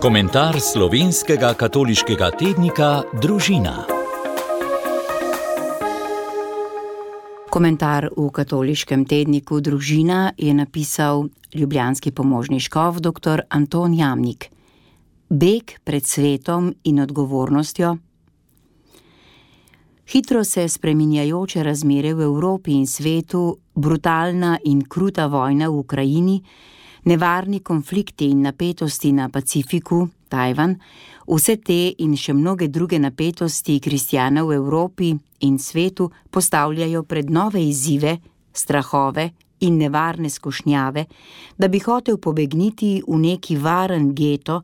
Komentar slovenskega katoliškega tednika Družina. Komentar v katoliškem tedniku Družina je napisal ljubljanski pomožni škof dr. Anton Jamnik. Beg pred svetom in odgovornostjo. Hitro se spreminjajoče razmere v Evropi in svetu, brutalna in kruta vojna v Ukrajini, nevarni konflikti in napetosti na Pacifiku, Tajvan, vse te in še mnoge druge napetosti kristjana v Evropi in svetu postavljajo pred nove izzive, strahove in nevarne skušnjave, da bi hotel pobegniti v neki varen geto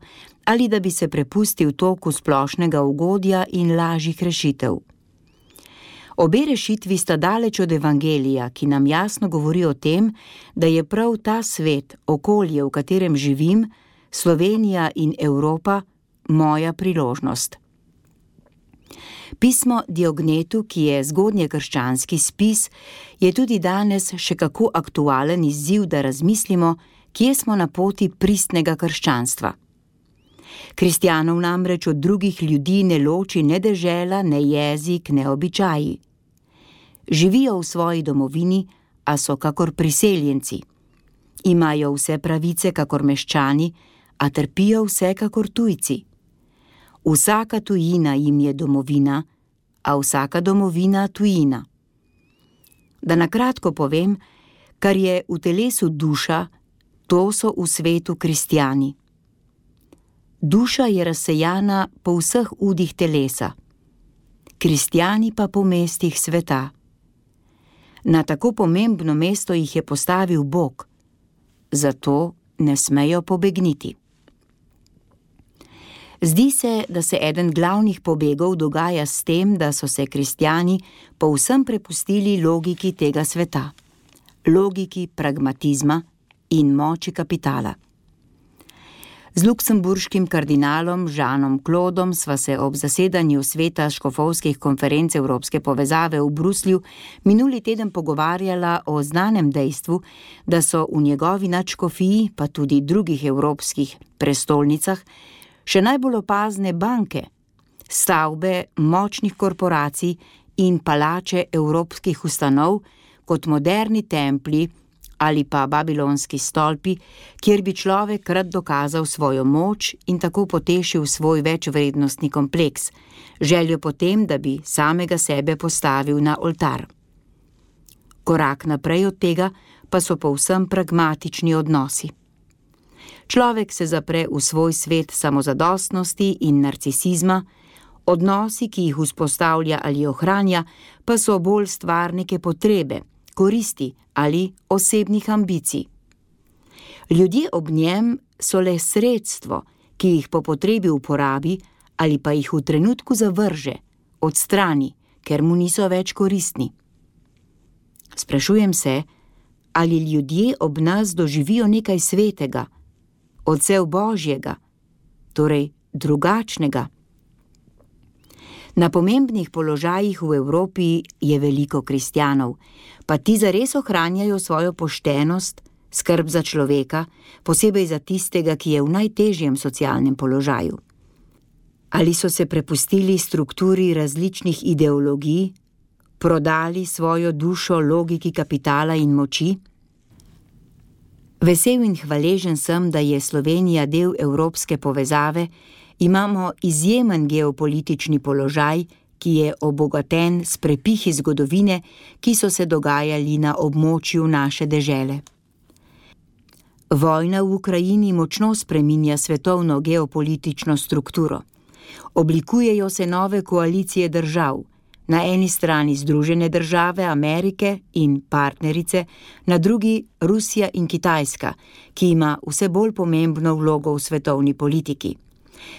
ali da bi se prepustil toku splošnega ugodja in lažjih rešitev. Obe rešitvi sta daleč od evangelija, ki nam jasno govori o tem, da je prav ta svet, okolje, v katerem živim, Slovenija in Evropa, moja priložnost. Pismo Diognetu, ki je zgodnjekrščanski spis, je tudi danes še kako aktualen izziv, da razmislimo, kje smo na poti pristnega krščanstva. Kristjanov namreč od drugih ljudi ne loči ne dežela, ne jezik, ne običaji. Živijo v svoji domovini, a so kakor priseljenci. Imajo vse pravice kakor meščani, a trpijo vse kakor tujci. Vsaka tujina jim je domovina, a vsaka domovina tujina. Da na kratko povem, kar je v telesu duša, to so v svetu kristjani. Duša je razsejana po vseh udih telesa, kristjani pa po mestih sveta. Na tako pomembno mesto jih je postavil Bog, zato ne smejo pobegniti. Zdi se, da se eden glavnih pobegov dogaja s tem, da so se kristjani povsem prepustili logiki tega sveta, logiki pragmatizma in moči kapitala. Z luksemburškim kardinalom Žanom Klodom sva se ob zasedanju sveta škofovskih konferenc Evropske povezave v Bruslju minuli teden pogovarjala o znanem dejstvu, da so v njegovi nadškofiji, pa tudi drugih evropskih prestolnicah, še najbolj opazne banke, stavbe močnih korporacij in palače evropskih ustanov kot moderni templji ali pa babilonski stolpi, kjer bi človek rad dokazal svojo moč in tako potešil svoj večvrednostni kompleks, željo potem, da bi samega sebe postavil na oltar. Korak naprej od tega pa so povsem pragmatični odnosi. Človek se zapre v svoj svet samozadostnosti in narcisizma, odnosi, ki jih vzpostavlja ali ohranja, pa so bolj stvar neke potrebe, koristi ali osebnih ambicij. Ljudje ob njem so le sredstvo, ki jih po potrebi uporabi ali pa jih v trenutku zavrže, odstrani, ker mu niso več koristni. Sprašujem se, ali ljudje ob nas doživijo nekaj svetega, odsev Božjega, torej drugačnega. Na pomembnih položajih v Evropi je veliko kristjanov, pa ti zares ohranjajo svojo poštenost, skrb za človeka, posebej za tistega, ki je v najtežjem socialnem položaju. Ali so se prepustili strukturi različnih ideologij, prodali svojo dušo logiki kapitala in moči? Vesel in hvaležen sem, da je Slovenija del evropske povezave, imamo izjemen geopolitični položaj, ki je obogaten s prepihi zgodovine, ki so se dogajali na območju naše dežele. Vojna v Ukrajini močno spreminja svetovno geopolitično strukturo. Oblikujejo se nove koalicije držav, na eni strani Združene države Amerike in partnerice, na drugi Rusija in Kitajska, ki ima vse bolj pomembno vlogo v svetovni politiki.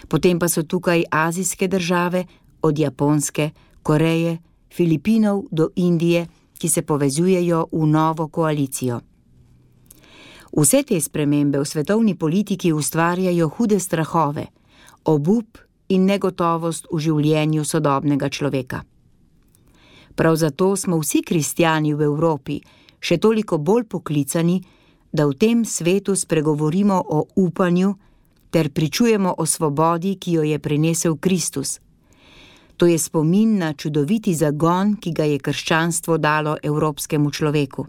Potem pa so tukaj azijske države, od Japonske, Koreje, Filipinov do Indije, ki se povezujejo v novo koalicijo. Vse te spremembe v svetovni politiki ustvarjajo hude strahove, obup in negotovost v življenju sodobnega človeka. Prav zato smo vsi kristjani v Evropi še toliko bolj poklicani, da v tem svetu spregovorimo o upanju, ter pričujemo o svobodi, ki jo je prinesel Kristus. To je spomin na čudoviti zagon, ki ga je krščanstvo dalo evropskemu človeku.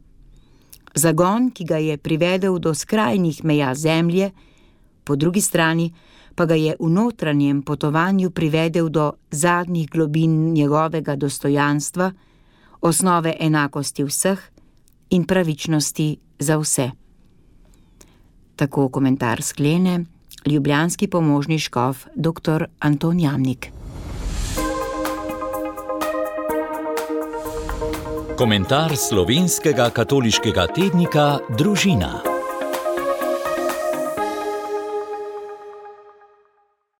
Zagon, ki ga je privedel do skrajnih meja zemlje, po drugi strani pa ga je v notranjem potovanju privedel do zadnjih globin njegovega dostojanstva, osnove enakosti vseh in pravičnosti za vse. Tako komentar sklene ljubljanski pomožni škof dr. Anton Jamnik. Komentar slovenskega katoliškega tednika Družina.